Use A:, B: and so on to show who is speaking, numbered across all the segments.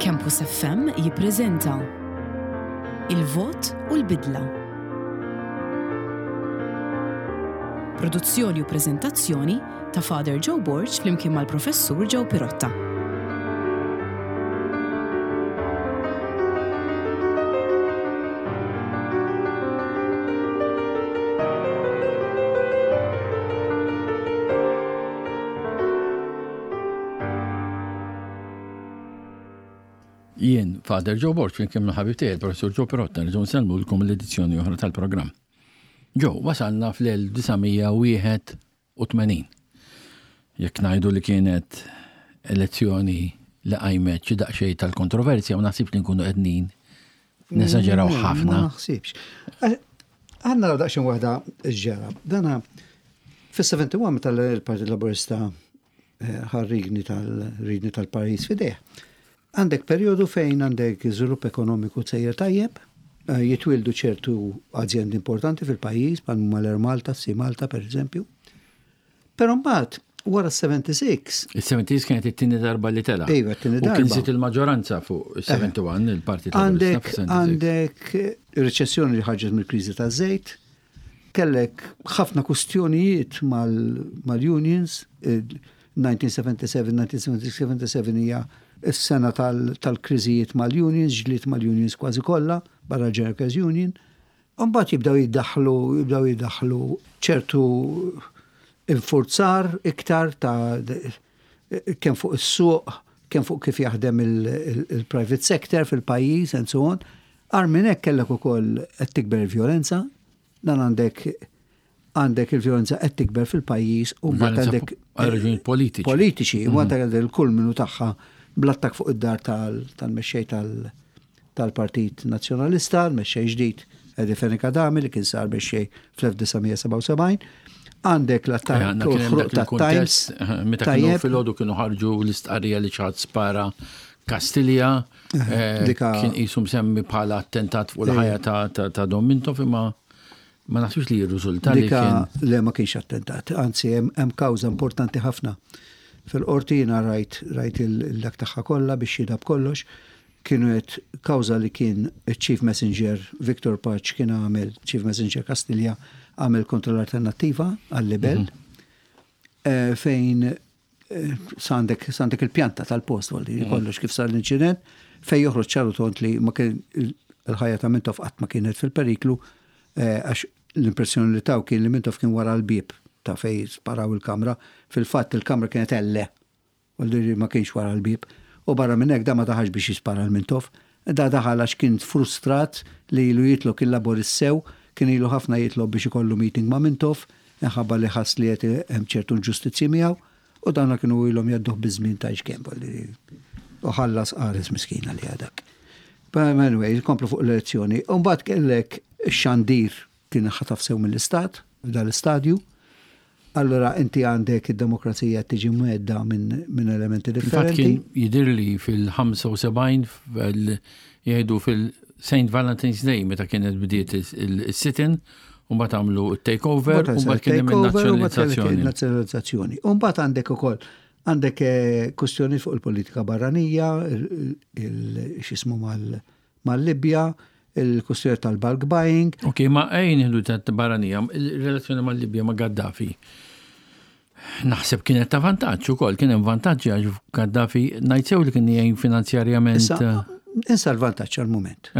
A: Campus FM jippreżenta Il-Vot u l-Bidla. Produzzjoni u preżentazzjoni ta' Father Joe Borg flimkien mal-Professur Joe Pirotta.
B: Jien, Father Joe Borg, flimkien mal-ħabib tiegħi, il-Professur Joe Pirotta, nerġgħu nsellmulkom l-edizzjoni oħra tal-programm. Joe, wasalna fl-1981. Jekk ngħidu li kienet elezzjoni li qajmet xi daqsxejn tal-kontroversja, ma naħsibx li nkunu qegħdin nesaġeraw ħafna.
C: Ma naħsibx. Għandna naraw daqsxejn waħda x'ġara. Dana fis-71 meta l-Partit Laburista eh, ħarrigni tal-ridni tal-pajjiż fidejh. Għandek perjodu fejn għandek żvilupp ekonomiku sejjer tajjeb, eh, jitwieldu ċertu azjendi importanti fil-pajjiż bħal huma l-Air Malta, Sea Malta pereżempju. Però mbagħad wara s-76.
B: Il-76 kienet it-tieni darba li tela.
C: Iva, t-tieni darba.
B: U kien żied il-maġġoranza fuq il-71 eh. il-Partit
C: Għandek għandek riċessjoni li ħarġet mill-kriżi taż-żejt, kellek ħafna kustjonijiet mal-unions, 1977, 1976, 77 hija s-sena tal-kriżijiet mal-unions, ġlied mal-unions kważi kollha, barra l-General Workers Union. Imbagħad jibdew jiddaħħlu, jibdew jiddaħħlu ċertu infurzar iktar ta' kemm fuq is-suq, kemm fuq kif jaħdem il-private sector fil-pajjiż and so on. Agħar minn hekk kellek ukoll qed tikber il-vjolenza, dan għandek għandek il-vjolenza qed tikber fil-pajjiż u mbagħad għandek
B: għal raġunijiet politiċi.
C: Politiċi, u mbagħad mhm. għandek il-kulminu tagħha bl-attakk fuq id-dar tal-mexxej tal-Partit Nazzjonalista, l-mexxej ġdid Eddie Fenech Adami li kien sar mexxej fl-1977. Għandek l-attakk
B: eh,
C: u l-ħruq tat-Times.
B: Eh, meta kienu filgħodu kienu ħarġu l-istqarrija li ċaħat spara Kastilja, eh, kien qisu msemmi bħala attentat fuq il-ħajja ta' Dom Mintoff imma ma naħsibx li jirriżulta li kien.
C: Le ma kienx attentat, anzi hemm kawża importanti ħafna. Fil-qorti jiena rajt rajt il-dak tagħha kollha biex xhieda b'kollox, kienu qed kawża li kien iċ-Chief Messenger Victor Pace kien għamel, Chief Messenger Kastilja għamel kontra l-Alternattiva għal-libell, mhm. fejn Sandek, sandek il-pjanta tal-post, għalli mm. kollox kif sar l-inċident, fej joħroġ ċaru tont li ma kien il-ħajja ta' Mintoff qatt ma kienet fil-periklu, eh, għax l-impressjoni li taw kien li Mintoff kien wara l-bieb ta' fej sparaw il-kamra. Fil-fatt il-kamra kienet elle, għalli ma kienx wara l-bieb. U barra minn hekk da ma daħax biex jispara l-Mintoff. Da daħal għax kien frustrat li ilu jitlob kien laborist sew, kien ilu ħafna jitlob biex ikollu meeting ma' Mintoff, minħabba li ħass li qed hemm ċertu inġustizzji miegħu, u dawna kienu ilhom jgħadduh biż-żmien tgħidx kemm, u ħallas qares miskin għaliha dak. But anyway, nkomplu fuq l-elezzjoni. U mbagħad kellek ix-xandir kien ħataf sew mill-istat f'dal-istadju. Allura inti għandek id-demokrazija tiġi mwedda minn min elementi
B: differenti.
C: Kien
B: jidirli fil-75 jgħidu fil-St. Valentine's Day meta kienet bdiet il-sit-in u mbagħad għamlu takeover u mbagħad kien hemm
C: il-nazzjonalizzazzjoni. Nazzjonalizzazzjoni. U mbagħad għandek ukoll għandek eh, kwistjoni fuq il-politika barranija, il-xismu mal-Libja, il-kwistjoni tal-bulk buying.
B: Ok, ma ejn nieħdu ta' barranija, il-relazzjoni mal-Libja ma' Gaddafi. Naħseb kienet ta' vantaġġ ukoll, kien hemm vantaġġi għax Gaddafi ngħid sew li kien jgħin finanzjarjament.
C: Issa, insa l-vantaġġ għal-mument.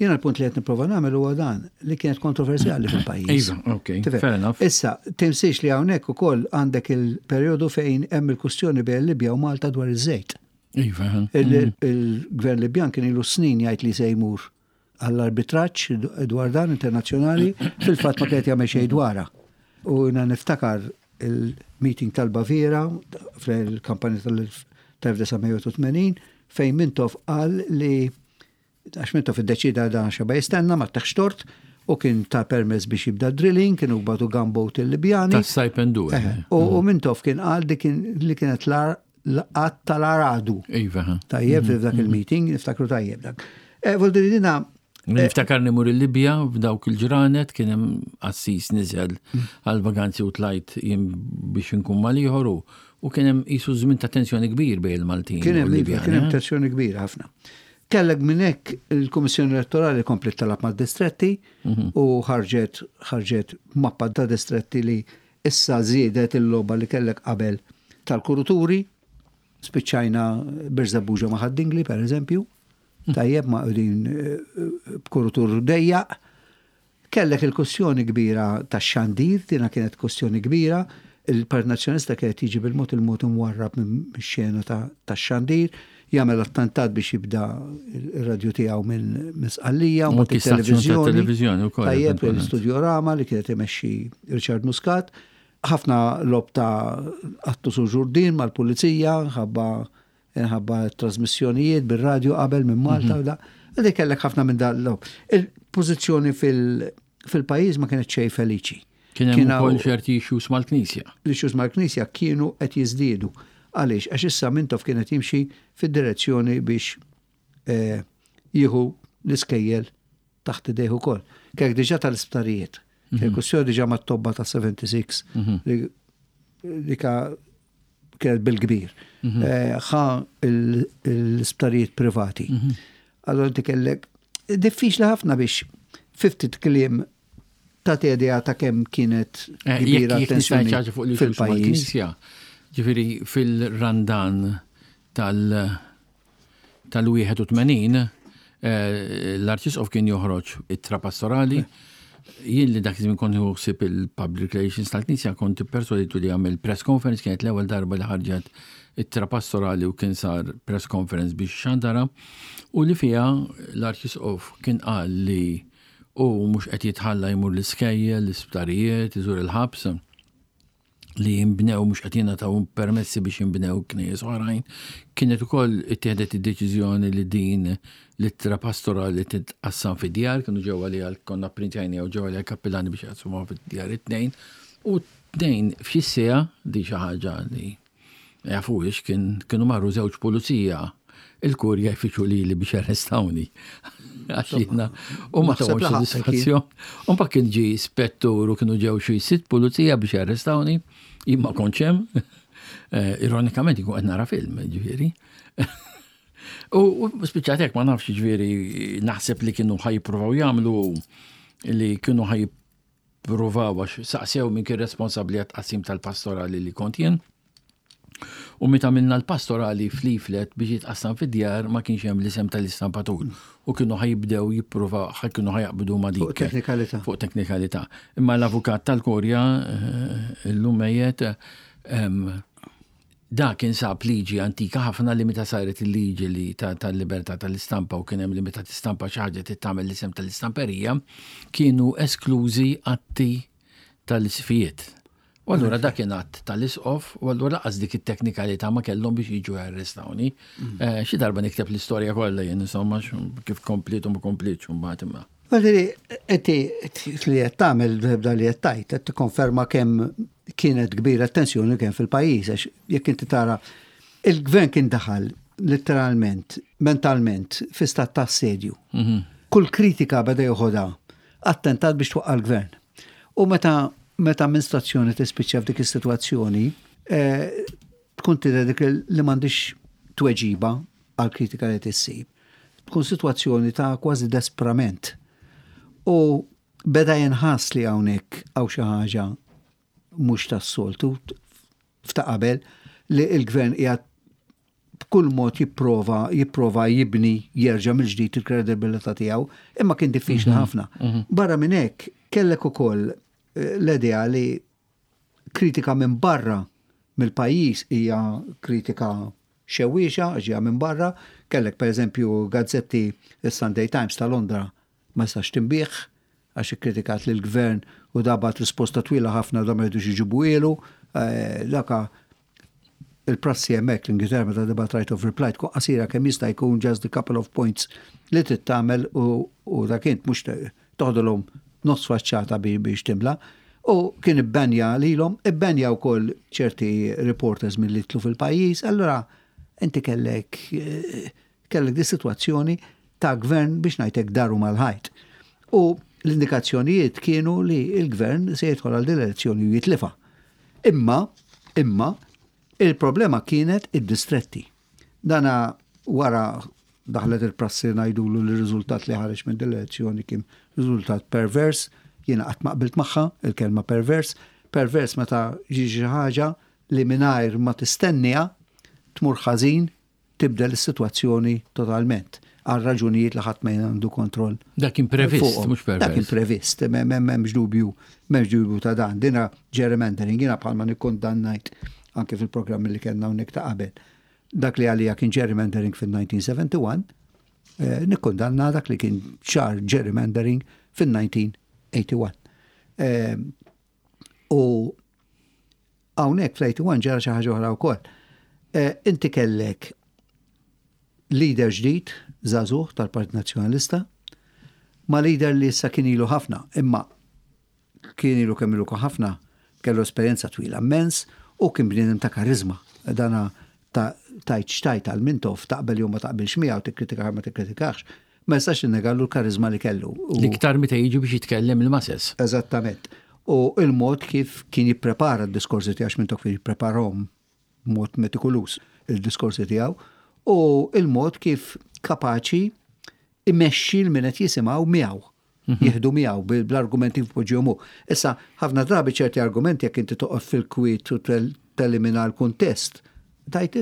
C: Jiena l-punt li qed nipprova nagħmel huwa dan li kienet kontroversjali fil-pajjiż.
B: Iva, ok, fair enough.
C: Issa, tinsiex li hawnhekk ukoll għandek il-perjodu fejn hemm il-kwistjoni bejn Libja u Malta dwar iż-żejt.
B: Iva.
C: Il-gvern Libjan kien ilu snin jgħid li se jmur għall-arbitraġġ dwar dan internazzjonali, fil-fatt ma kienet jagħmel xejn dwarha. U jiena niftakar il-meeting tal-Baviera fil-kampanja tal-1981 fejn Mintoff qal li Għax Mintoff iddeċieda dan xeba jistenna ma taħx tort u kien ta permess biex jibda drilling, kienu bagħtu gunboat il-Libjani.
B: Ta' Saipendu.
C: U Mintoff kien qal li kienet l-qatt tal-aradu.
B: Iva.
C: Tajjeb mhm. f'dak il-meeting, niftakru tajjeb dak. Eh, Voldiri dina
B: eh, Niftakar nimur il-Libja f'dawk il-ġranet kien hemm assis niżel mm. għal vaganzi u tlajt jien biex inkun mal-ieħor u U kien hemm qisu żmien ta' tensjoni kbir bejn il-Maltin.
C: Kien hemm iva, kien hemm eh? tensjoni kbira ħafna. Kellek minn hekk il-Kummissjoni Elettorali komplet talab mad-distretti mhm. u ħarġet ħarġet mappa ta' distretti li issa żiedet il-logħba li kellek qabel tal-kuruturi. Spiċċajna Birżebbuġa ma' Ħad-Dingli, per eżempju. Mhm. Tajjeb ma' qegħdin eh, b'kurutur dejjaq. Kellek il-kwestjoni kbira tax-xandir, dina kienet kwestjoni kbira, il-Partit Nazzjonalista kien qed jiġi bil-mod il-mod imwarrab mix-xena tax-xandir, jagħmel attentat biex jibda r-radju tiegħu minn Sqallija, u mbagħad it-televiżjoni. Tajjeb, l-Studio Rama li kienet imexxi Richard Muscat. Ħafna logħob ta' qattus u ġurdien mal-pulizija, ħabba Minħabba trasmissjonijiet bir-radju qabel minn Malta u da. Għalli kellek ħafna minn dan l Il-pożizzjoni fil-pajjiż ma kienet xejn feliċi.
B: Kien hemm ukoll ċerti issues mal-Knisja.
C: L-issues mal-Knisja kienu qed jiżdiedu. Għaliex? Għax issa Mintoff kien qed jimxi fid-direzzjoni biex eh, jieħu l-iskejjel taħt idejh ukoll. Kellek diġà tal-isptarijiet. Kellek mhm. kwestjoni diġà mat-tobba ta' 76 mhm. li dika kienet bil-kbir. Mhm. Eh, ħa l-isptarijiet privati. Mhm. Allora inti kellek diffiċli ħafna biex fiftit kliem ta' idea ta' kemm kienet
B: eh, kbira tensjoni fil-pajjiż. Ġifieri fil-Randan tal- tal-81 l-Arċisqof kien joħroġ ittra pastorali. Jien li dak iż-żmien kont nieħu ħsieb il-public relations tal-Knisja kont ipperswaditu li jagħmel press conference kienet l-ewwel darba li ħarġet ittra pastorali u kien sar press conference biex xandara u li fiha l-Arċisqof kien qal li hu mhux qed jitħalla jmur l-iskejjel, l-isptarijiet, iżur il-ħabs. li jinbnew mhux qed jingħataw permessi biex jinbnew knejjes oħrajn, kienet ukoll ittieħdet id-deċiżjoni li din l-ittra pastorali titqassam fid-djar, kienu ġew għaliha konna pprintjajniha u ġew għaliha kappillani biex jaqsmuha fid-djar it-tnejn, u tnejn f'xi siegħa, di xi ħaġa li ma jafuhiex, kien kienu marru żewġ pulizija il-kurja jfittxu lili biex jarrestawni. Għax jiena u ma tawx sodisfazzjon. U mbagħad kien ġie spettur u kienu ġew xi sitt pulizija biex jarrestawni, jien ma kontx hemm. Eh, ironikament jkun qed nara film, ġifieri. U spiċċat hekk ma nafx ġifieri naħseb li kienu ħajpruvaw jagħmlu li kienu ħaj Pruvaw għax saqsew min kien responsabbli għat-tqassim tal-pastorali li kont jien. U meta għamilna l-pastorali f'leaflet biex jitqassam fid-djar ma kienx hemm l-isem tal-istampatur. U kienu ħajibdew jippruvaw, kienu ħajaqbdu ma dik.
C: Fuq teknikalità.
B: Fuq teknikalità. Imma l-avukat tal-Kurja, eh, illum mejjet, Da kien sab liġi antika ħafna li meta saret il-liġi li tal-libertà tal-istampa u kien hemm li meta tistampa xi ħaġa trid tagħmel l-isem tal-istamperija, kienu esklużi atti tal-isqfijiet. U allura dak kien att tal-isqof u allura laqas dik it-teknikalità ma kellhom biex jiġu jarrestawni. Mm. Eh, xi darba nikteb l-istorja kollha jien insomma kif kompliet u ma komplietx mbagħad imma.
C: Għadri, inti li qed tagħmel b'da li qed tgħid, qed tikkonferma kemm kienet kbira t-tensjoni kemm fil-pajjiż, għax jekk inti tara il-gvern kien daħal letteralment, mentalment, fi stat ta' assedju. Mhm. Kull kritika beda joħodha attentat biex twaqqa' l-gvern. U meta meta amministrazzjoni tispiċċa f'dik is-sitwazzjoni, eh, tkun tidher dik li m'għandix tweġiba għal kritika li tissib. Tkun sitwazzjoni ta' kważi desprament. U beda jinħass li hawnhekk hawn xi ħaġa mhux tas-soltu f'ta' qabel li l-gvern qiegħed b'kull mod jipprova jipprova jibni jerġa' mill-ġdid il-kredibilità tiegħu, imma kien diffiċli mhm. ħafna. Mhm. Barra minn hekk kellek ukoll eh, l-idea li kritika minn barra mill-pajjiż hija kritika xewwiexa għax ġejja minn barra. Kellek pereżempju gazzetti is-Sunday Times ta' Londra ma jistax tinbiegħ għax ikkritikat lill-gvern u da bagħat risposta twila ħafna u da ma jridux iġibuhielu. Eh, daka il-prassi hemmhekk l-Ingilterra meta tibgħat right of reply tkun qasira kemm jista' jkun just a couple of points li trid tagħmel u dak int mhux toħdilhom nofs faċċata biex timla. U kien ibbanja lilhom, ibbanja wkoll ċerti reporters milli jidħlu fil-pajjiż, allura inti kellek kellek di sitwazzjoni ta' gvern biex ngħidlek daru mal-ħajt. U l-indikazzjonijiet kienu li l-gvern se jidħol għal din l-elezzjoni u jitlifha. Imma, imma, Il-problema kienet id-distretti. Dana wara daħlet il-prassi ngħidulu li r-riżultat li ħareġ minn din l-elezzjoni kien riżultat pervers, jiena qatt ma qbilt magħha il-kelma pervers, pervers meta jiġi xi ħaġa li mingħajr ma tistenniha tmur ħażin tibdel is-sitwazzjoni totalment għal raġunijiet li ħadd ma għandu kontroll.
B: Dak kien previst, mhux pervers.
C: Dak kien previst, m'hemmx dubju, m'hemmx dubju ta' dan. Dina gerrymandering, jiena bħalma nikkundannajt anke fil-programmi li kellna hawnhekk ta' qabel. Dak li għalija kien gerrymandering fil-1971, eh, nikkundanna dak li kien ċar gerrymandering fil-1981. Eh, u hawnhekk fl-81 ġara xi ħaġa oħra wkoll. Eh, inti kellek leader ġdid, żagħżugħ tal-Partit Nazzjonalista, ma' leader li issa kien ilu ħafna, imma kien ilu kemm ilu ħafna, kellu esperjenza twila immens u kien bniedem ta' kariżma. Dana ta' tajt xtajt għal Mintoff, taqbel jew ma taqbilx miegħu, tikkritikah ma tikkritikax, ma jistax tinnegallu l-kariżma li kellu.
B: L-iktar meta jiġi biex jitkellem il-masses.
C: Eżattament. U il-mod kif kien jipprepara d-diskorsi tiegħu, għax Mintoff kien jippreparahom b'mod metikoluż il-diskorsi tiegħu, u il-mod kif kapaċi imexxi l min qed jisimgħu miegħu. Mhm. Jieħdu miegħu bl-argumenti jpoġġihom hu. Issa, ħafna drabi ċerti argumenti jekk inti toqgħod fil-kwiet u telimina l-kuntest, tajt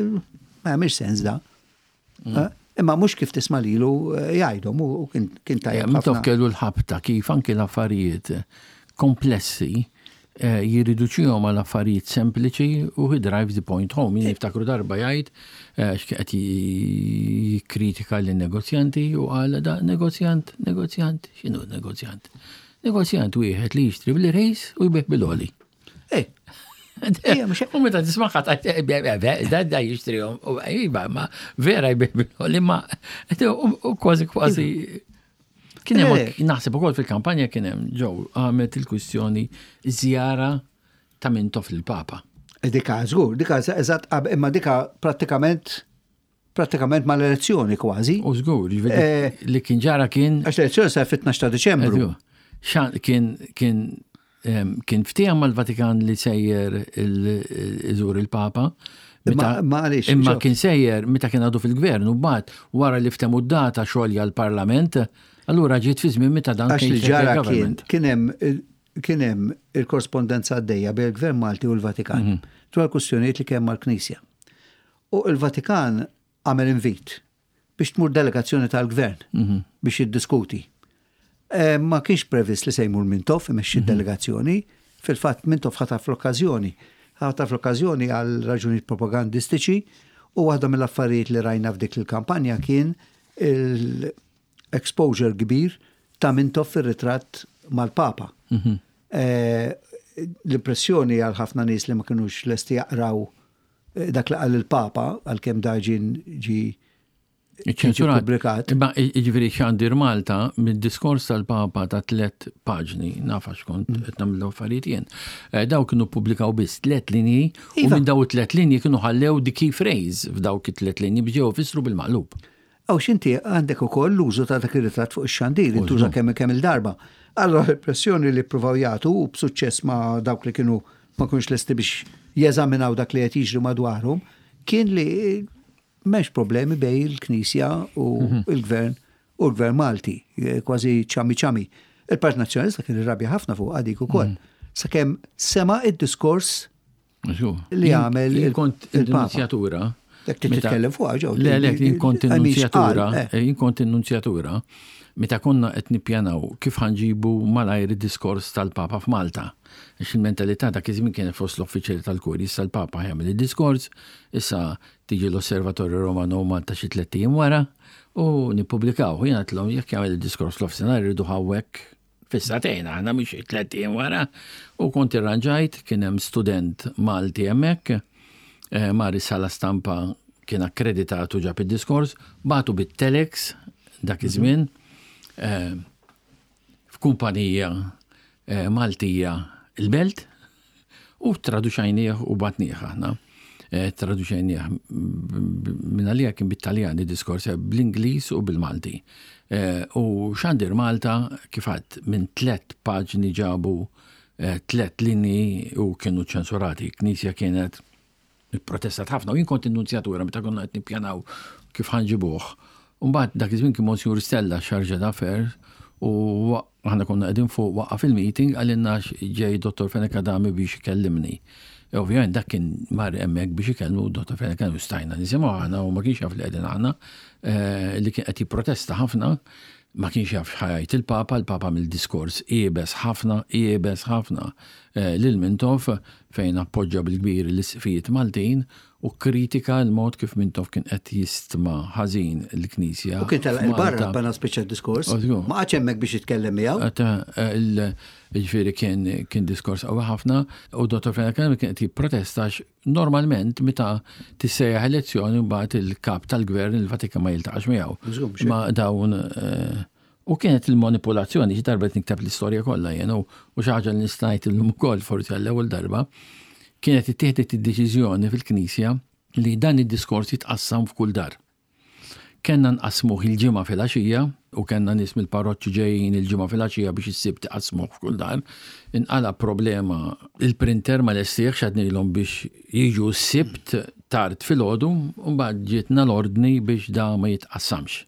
C: ma jagħmilx sens da. Mm. Eh? Imma mhux kif tisma' lilu eh, jgħidhom u kien tajjeb.
B: Mintoff kellu l-ħabta kif anki l-affarijiet komplessi eh, jirriduċihom għal affarijiet sempliċi u he drives the point home. Jien niftakru darba jgħid eh, x'qed jikkritika lin negozjanti u qal da negozjant, negozjant, x'inhu negozjant? Negozjant wieħed li jixtri bil-rejs u jbigħ bil-oli.
C: Eh,
B: U meta tismaħħa ta' da da jixtrihom, u iva, ma vera jbigħ bil-oli, ma u kważi kważi Kien hemm eh. naħseb ukoll fil-kampanja kien hemm ġew għamet il-kwistjoni żjara ta' Mintoff lill-Papa.
C: Eh, dika żgur, dika eżatt imma dika prattikament prattikament mal-elezzjoni kważi.
B: U żgur, eh, li kien ġara kien.
C: Għax l-elezzjoni sa fit-12 ta' Deċembru.
B: Kien kien Kien ftiehem mal-Vatikan li sejjer iżur il-Papa. Imma kien sejjer meta kien għadu fil-gvern u mbagħad wara li ftehmu d-data xolja l-Parlament, allura ġiet fi żmien meta dan
C: kien ġara kien hemm kien hemm il-korrespondenza għaddejja bejn il-Gvern Malti u l-Vatikan mhm. dwar kwistjonijiet li kien mal-Knisja. U l-Vatikan għamel invit biex tmur delegazzjoni tal-gvern mhm. biex jiddiskuti. Eh, ma kienx previst li se jmur Mintoff imexxi mhm. delegazzjoni, fil-fatt Mintoff ħataf l-okkażjoni. Ħataf l-okkażjoni għal raġunijiet propagandistiċi u waħda mill-affarijiet li rajna f'dik il-kampanja kien il-exposure kbir ta' Mintoff fir-ritratt mal-Papa. Mhm. Eh, l-impressjoni għal ħafna nies li ma kinux lesti jaqraw Dak li qal il-Papa, għalkemm da ġien ġi
B: Iċ-ċensurat. Pubblikat. Imma jiġifieri xandir Malta mid-diskors tal-Papa ta' tlet paġni, naf għax kont mm. qed nagħmel affarijiet jien. Eh, daw kienu ppubblikaw biss tlet linji u iva. minn daw it-tlet linji kienu ħallew the key phrase f'dawk it-tlet linji biex ġew fissru bil-maqlub.
C: Aw x'inti għandek ukoll l-użu ta' dak ir-ritratt fuq ix-xandir, intuża kemm kemm il-darba. Allora l-impressjoni li ppruvaw jagħtu u b'suċċess ma' dawk li kienu ma kienux lesti biex jeżaminaw dak li qed jiġri madwarhom, kien li m'hemmx problemi bejn il-Knisja u mhm. il-Gvern u l-Gvern Malti, eh, kważi ċami ċami. Il-Partit Nazzjonalista kien irrabja ħafna fuq għadik ukoll. Mhm. Sakemm sema id-diskors li għamel
B: il-kont il-nunzjatura.
C: Dak titkellem fuq
B: ġew. Le, le, jien kont in-nunzjatura, eh. Eh, jien kont in-nunzjatura, meta konna qed nippjanaw kif ħanġibu malajr id-diskors tal-Papa f'Malta. Għax il-mentalità dak iż-żmien kienet fost l-uffiċjali tal-kurji, issa l-Papa jagħmel id-diskors, issa tiġi l-Osservatorju Romano Malta xi tlett ijiem wara u nippubblikaw. Jien għedtlhom jekk jagħmel id-diskors l-ofsinhar irridu hawnhekk fis-sagħtejn aħna mhux xi tlett ijiem wara u kont irranġajt kien hemm student Malti hemmhekk eh, mar is-sala stampa kien akkreditat u ġab id-diskors, bagħtu bit-telex dak iż-żmien eh, f'kumpanija eh, Maltija il-Belt u traduċajnieh u batnieh aħna. Eh, traduċajnieh minn għalija kien bit-Taljan id-diskors eh, bl-Ingliż u bil-Malti. U xandir Malta kif għadd minn tlet paġni ġabu tlet linji u kienu ċensurati. Knisja kienet Ipprotestat ħafna u jien kont in-nunzjatura meta konna qed nippjanaw kif ħa nġibuh. U mbagħad dak iż-żmien kien Monsignor Stella Chargé d'Affaires u aħna konna qegħdin fuq waqqaf il-meeting qalilna ġej Dottor Fenech Adami biex ikellimni. E ovvjament dak kien mar hemmhekk biex ikellmu Dottor Fenech Adami u stajna nisimgħu aħna u ma kienx jaf li qegħdin aħna eh, li kien qed jipprotesta ħafna ma kienx jaf x'ħa jgħid il-Papa, il-Papa għamel diskors iebes ħafna, iebes ħafna eh, lil Mintoff fejn appoġġa bil-kbir l-isqfijiet Maltin u kkritika l-mod kif Mintoff kien qed jistma ħażin il-Knisja.
C: U kien telaq il-barra bana spiċċa d-diskors. Ma qagħadx hemmhekk biex jitkellem
B: miegħu. Ġifieri kien kien diskors qawwi ħafna u Dottor Fenech kien qed jipprotesta normalment meta tissejjaħ elezzjoni mbagħad il-kap tal-gvern il-Vatikan ma jiltaqax miegħu. Ma dawn eh, u kienet il-manipolazzjoni xi darba nikteb l-istorja kollha jien u xi ħaġa li nista' ngħid illum ukoll forsi għall-ewwel darba kienet ittieħdet id-deċiżjoni fil-Knisja li dan id-diskors jitqassam f'kull dar. Kellna nqassmuh il-Ġimgħa filgħaxija u kellna nies mill-parroċċi ġejjin il-Ġimgħa filgħaxija biex is-Sibt iqassmuh f'kull dar. Inqala' problema, il-printer ma lestihx għednilhom biex jiġu s-Sibt tard filgħodu u mbagħad ġietna l-ordni biex da ma jitqassamx.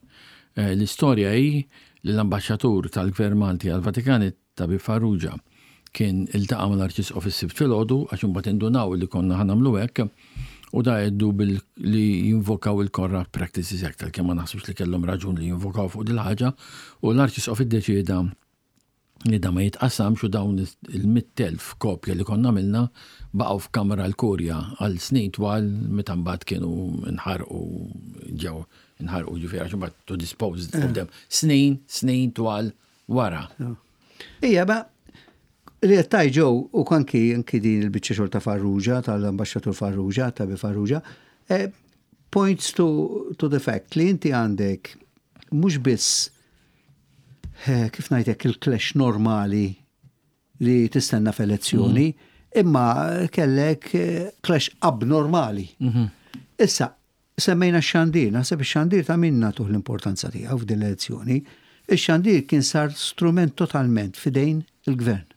B: L-istorja hi li l-Ambaxxatur tal-Gvern Malti għall-Vatikan, Tabib Farrugia kien iltaqa' mal-Arċisqof is-Sibt filgħodu għax imbagħad indunaw li konna ħa nagħmlu hekk u da għeddu bil li jinvokaw il-Corrupt Practices Act għalkemm ma naħsibx li kellhom raġun li jinvokaw fuq dil-ħaġa u l-Arċisqof iddeċieda li da ma jitqassamx u dawn il-100,000 kopja li konna għamilna baqgħu f'kamra l-Kurja għal snin twal meta mbagħad kienu nħarqu ġew nħarqu ġifieri għax imbagħad to dispose of them snin, snin twal wara.
C: Ija, ma li qed tgħid Joe u anki anki din il-biċċa xogħol ta' Farrugia, tal-Ambaxxatur Farrugia, ta' Bi Farrugia, eh, points to, to the fact li inti għandek mhux biss eh, kif ngħidlek il-clash normali li tistenna f'elezzjoni, mm. imma kellek eh, clash abnormali. Mm -hmm. Issa, Semmejna x-xandir, naħseb ix-xandir ta' min nagħtuh l-importanza tiegħu f'din l-elezzjoni. Ix-xandir kien sar strument totalment f'idejn il-gvern.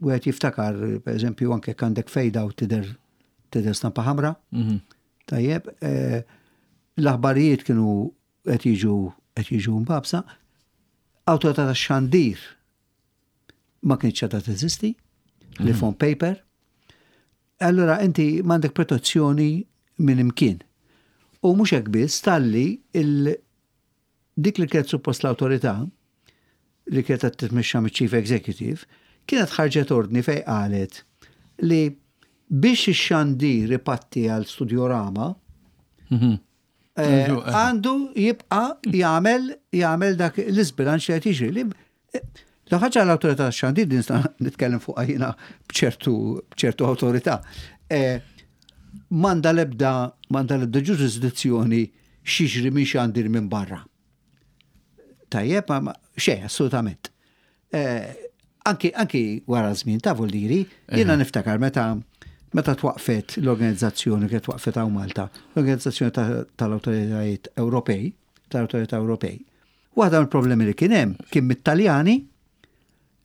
C: Wieħed jiftakar, per eżempju, anke jekk għandek fade out tidher tidher stampa ħamra. Mhm. Tajjeb, eh, l-aħbarijiet kienu qed jiġu qed jiġu mbabsa. Awtorità tax-xandir ma kienx għadha teżisti, li mhm. on paper. Allura inti m'għandek protezzjoni minn imkien. U mhux hekk biss talli il dik li kienet suppost l-awtorità li kienet qed titmexxa miċ-Chief Executive kienet ħarġet ordni fejn qalet li biex ix-xandir ipatti għal Studiorama mhm. Eh, għandu jibqa jagħmel jagħmel dak l-isbilanċ li qed jiġri. Li eh, l ħaġa l-awtorità xandir din nitkellem fuq jiena b'ċertu b'ċertu awtorità. Eh, manda l-ebda manda l-ebda ġurisdizzjoni xiġri minn xandir minn barra. Tajjeb, ma xejn, assolutament. Eh, anki, anki wara żmien ta' Voldiri, jiena niftakar meta meta twaqfet l-organizzazzjoni kienet twaqfet hawn Malta, l-organizzazzjoni tal-awtoritajiet Ewropej, tal-awtorità Ewropej. Waħda mill-problemi li kien hemm kien mit-Taljani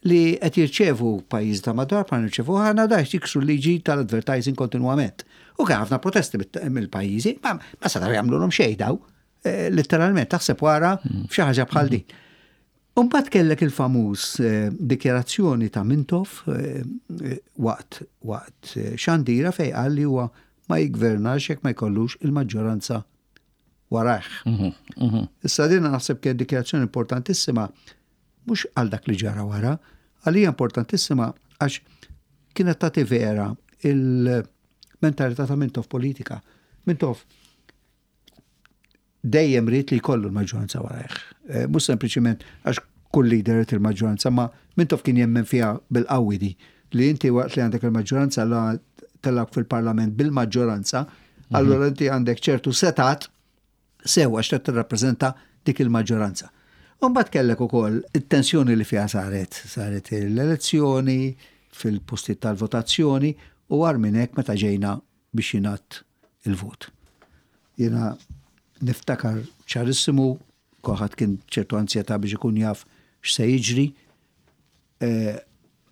C: li qed jirċevu pajjiż ta' madwar bħal nirċevu ħana da jiksru liġi tal-advertising kontinwament. U kien ħafna protesti mill-pajjiżi, ma ma setgħu jagħmluhom xejn daw. Eh, letteralment taħseb wara hmm. f'xi ħaġa bħal din. Umbagħad kellek il-famuż eh, dikjarazzjoni ta' Mintoff eh, waqt waqt xandira fej qal li huwa ma jigvernax jekk ma jkollux il-maġġoranza warajh. Mhm, mhm. Issa din naħseb kien dikjarazzjoni importantissima mhux għal dak li ġara wara, għalija importantissima għax kienet tagħti vera il-mentalità ta' Mintoff politika. Mintoff dejjem ried li jkollu l-maġġoranza warajh. Eh, mhux sempliċiment għax kull leader irid il-maġġoranza, ma Mintoff kien jemmen fiha bil-qawwi di li inti waqt li għandek il-maġġoranza la tellak fil-parlament bil-maġġoranza, mhm. allura inti għandek ċertu setat sew għax qed tirrappreżenta dik il-maġġoranza. Umbagħad kellek ukoll it-tensjoni li fiha saret, saret l-elezzjoni fil-postijiet tal-votazzjoni u għar minn hekk meta ġejna biex jingħadd il-vot. Jiena niftakar ċarissimu, kulħadd kien ċertu anzjetà biex ikun jaf x'se jiġri. Eh,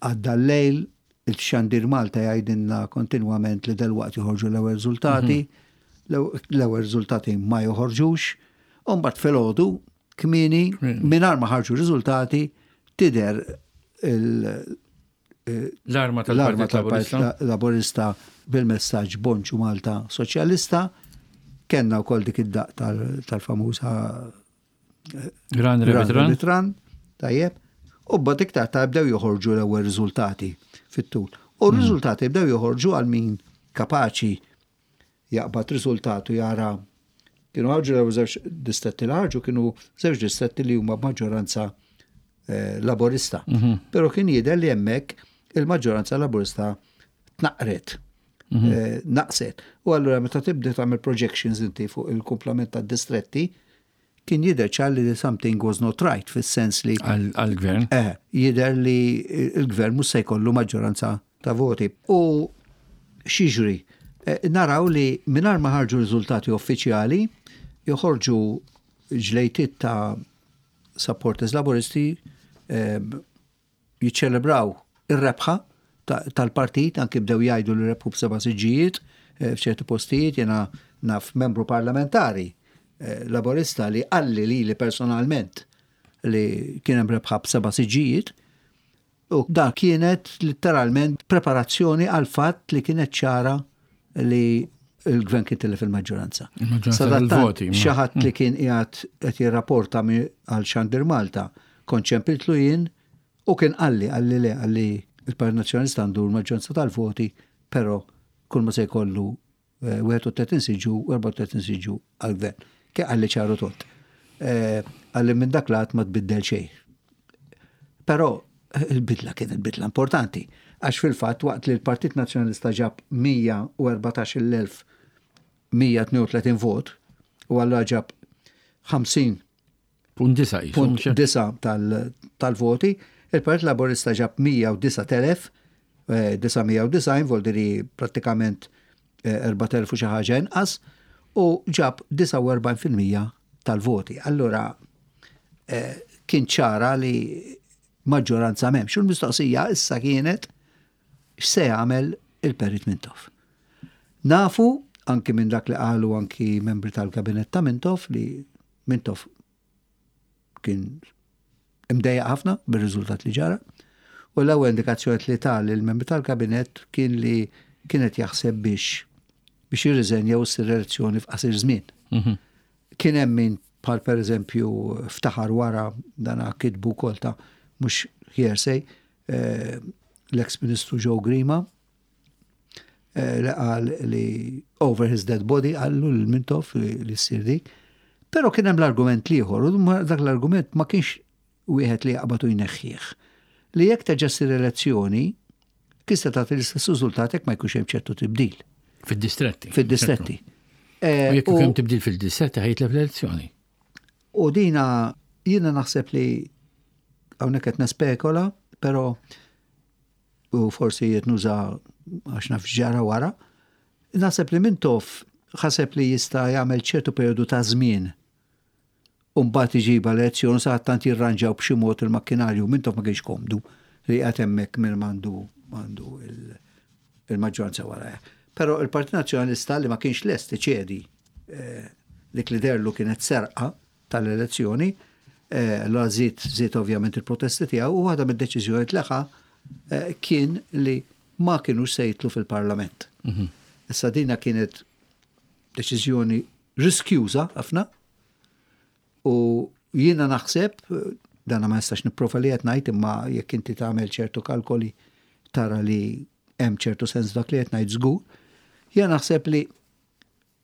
C: għadda l-lejl, Il-Xandir Malta jgħidilna kontinwament li delwaqt joħorġu l-ewwel riżultati, l-ewwel riżultati ma joħorġux, u mbagħad filgħodu kmieni mingħajr ma ħarġu riżultati tidher
B: l-arma tal-Partit
C: Laburista bil-messaġġ Bonġu Malta Soċjalista. Kenna wkoll dik id-daq tal-famuża
B: Run Rabbit Run.
C: Run. Tajjeb. U bad iktar ta' bdew joħorġu l-ewwel riżultati fit-tul. U r-riżultati bdew joħorġu għal min kapaċi jaqbad riżultat u jara kienu ħarġu l-ewwel żewġ distretti li ħarġu kienu żewġ distretti li huma b'maġġoranza eh, laborista. Mhm. Però kien jidher li hemmhekk il-maġġoranza laborista tnaqret. Mhm. Eh, naqset. U allura meta tibda tagħmel projections inti fuq il-kumplament tad-distretti, kien jidher ċar li something was not right fis-sens li
B: għall-gvern.
C: Eh, jidher li l-gvern mhux se jkollu maġġoranza ta' voti. U x'jiġri? Eh, naraw li mingħajr ma ħarġu riżultati uffiċjali, joħorġu ġlejtiet ta' supporters laburisti eh, jiċċelebraw ir-rebħa tal-partit, anki bdew jgħidu li rebħu b'seba' siġġijiet eh, f'ċerti postijiet, jena naf membru parlamentari eh, laborista li qalli li li personalment li kien hemm rebħa b'seba' siġġijiet, u da kienet literalment preparazzjoni għal fatt li kienet ċara li il-gvern kien tilef il-maġġoranza.
B: Sadattant
C: xi ħadd li kien qiegħed qed jirrapporta għal Xandir Malta, kont ċempiltlu jien u kien qalli, qalli le, qalli il-Partit Nazzjonalista għandu l-maġġoranza tal-voti, però kull ma se jkollu 31 eh, siġġu u 34 siġġu għall-gvern. Kien qalli ċaru tont. Eh, qalli minn dak lat ma tbiddel xejn. Però il-bidla kienet bidla importanti, għax fil-fatt waqt li l-Partit Nazzjonalista ġab 114,132 vot u allura ġab 50
B: Punt disa' qisu,
C: punt disa' tal-voti, il-Partit Laburista ġab 109,990 voldiri prattikament 4,000 u xi ħaġa inqas u ġab 49% tal-voti. Allura kien ċara li maġġoranza m'hemmx. U l-mistoqsija issa kienet x'se jagħmel il-Perit Mintoff. Nafu anki minn dak li qalu anki membri tal-kabinett ta' Mintoff li Mintoff kien imdejjaq ħafna bir-riżultat li ġara. U l-ewwel indikazzjoni li ta lill-membri tal-kabinett kien li kienet jaħseb biex biex jirriżenja u ssir elezzjoni f'qasir żmien. Mhm. Kien hemm min bħal pereżempju ftaħar wara dana kitbu wkoll ta' mhux hearsay eh, l-eks Ministru Joe Grima eh, li qal li over his dead body qallu lil Mintoff li ssir dik. Però kien hemm l-argument l-ieħor u dak l-argument ma kienx wieħed li jaqbad u jneħħih. Li jekk terġa' ssir elezzjoni, tista' tagħti l-istess riżultat jekk ma jkunx hemm ċertu tibdil.
B: Fid-distretti.
C: Fid-distretti.
B: Eh, u jekk hemm tibdil fil-distretti ħajtlef l-elezzjoni.
C: U dina jiena naħseb li hawnhekk qed nespekola, però u forsi qed nuża għax naf ġara wara, naħseb li Mintoff ħaseb li jista' jagħmel ċertu perjodu ta' żmien u mbagħad iġibha l-elezzjoni u sadattant jirranġaw b'xi mod il-makkinarju. Mintoff ma kienx komdu li qiegħed hemmhekk minn m'għandu m'għandu il-maġġoranza warajh. Però il-Partit Nazzjonalista li ma kienx lest iċedi eh, dik li derlu kienet serqa tal-elezzjoni, eh, allura żied żied ovvjament il-protesti tiegħu u waħda mid-deċiżjonijiet li ħa eh, kien li ma kinux se jitlu fil-Parlament. Mhm. Issa dina kienet deċiżjoni riskjuża ħafna u jiena naħseb, dana ma nistax nipprova li qed ngħid imma jekk inti tagħmel ċertu kalkoli tara li hemm ċertu sens dak li qed ngħid żgur, jiena naħseb li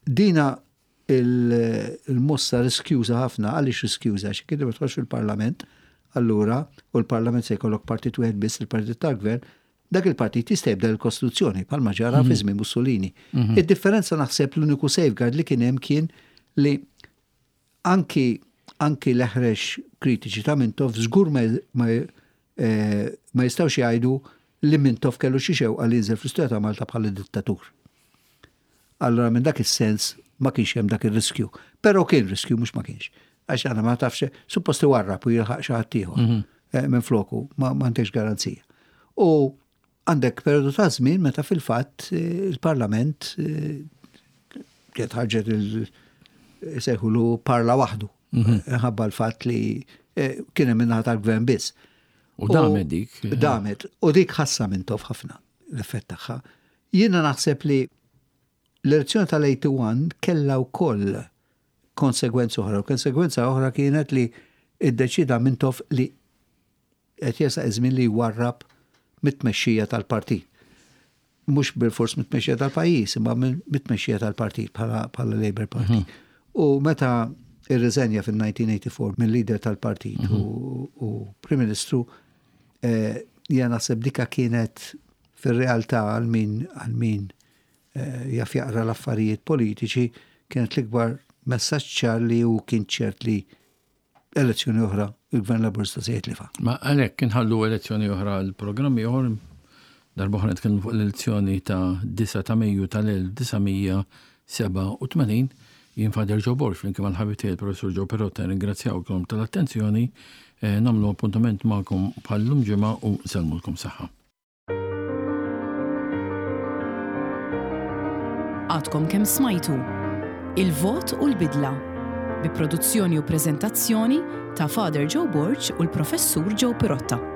C: dina il-mossa riskjuża ħafna, għaliex riskjuża? Għax jekk inti ma tħossx fil-Parlament, allura, u l-Parlament se jkollok partit wieħed biss, il-partit tal-gvern, Dak il-partit jista' jibdel il-Kostituzzjoni bħalma ġara fi żmien Mussolini. Id-differenza naħseb l-uniku safeguard li kien hemm kien li anki anki l-eħrex kritiċi ta' Mintoff żgur ma, ma, eh, ma jistgħux jgħidu li Mintoff kellu xi xewqa li jinżel fl-istorja ta' Malta bħala dittatur. Allura minn dak is-sens ma kienx hemm dak ir-riskju. Però kien riskju mhux ma kienx. Għax għana ma tafx, suppost iwarrab u jilħaq xi ħadd ieħor mhm. eh, minn floku, ma m'għandekx garanzija. U Għandek periodu ta' żmien meta fil-fatt eh, il-Parlament eh, kienet ħarġet il-sejħulu parla waħdu. Mhm. Ħabba l-fatt li eh, kien hemm minnaħa tal-gvern biss.
B: U damet dik.
C: Damet. U dik ħassa minn tof ħafna l-effett tagħha. Jiena naħseb li l-elezzjoni tal-81 kellha wkoll konsegwenza oħra. U konsegwenza oħra kienet li iddeċida Mintoff li qed jersaq iż-żmien li jwarrab mit-tmexxija tal-partit. Mhux bilfors mit-tmexxija tal-pajjiż, imma mit-tmexxija tal-partit bħala Labour Party. Mhm. U meta irriżenja fil-1984 mill-leader tal-partit mhm. u Prim Ministru, eh, jena naħseb dika kienet fil-realtà għal min għal min eh, jaf jaqra l-affarijiet politiċi kienet l-ikbar messaġġ ċar li hu kien ċert li elezzjoni oħra il-Gvern Laburista se jitlifha.
B: Ma għalhekk inħallu elezzjoni oħra l-programm ieħor darba oħra nitkellmu fuq l-elezzjoni ta' 9 ta' Mejju tal-1987 jien Father Joe Borg flimkien mal-ħabib tiegħi il-Professur Joe Perotta nirringrazzjawkom tal-attenzjoni, eh, nagħmlu appuntament magħkom bħal-lum ġimgħa u nsellmulkom saħħa.
A: Għadkom kemm smajtu Il-Vot u l-Bidla bi produzzjoni u preżentazzjoni ta' Father Joe Borg u l-Professur Joe Pirotta.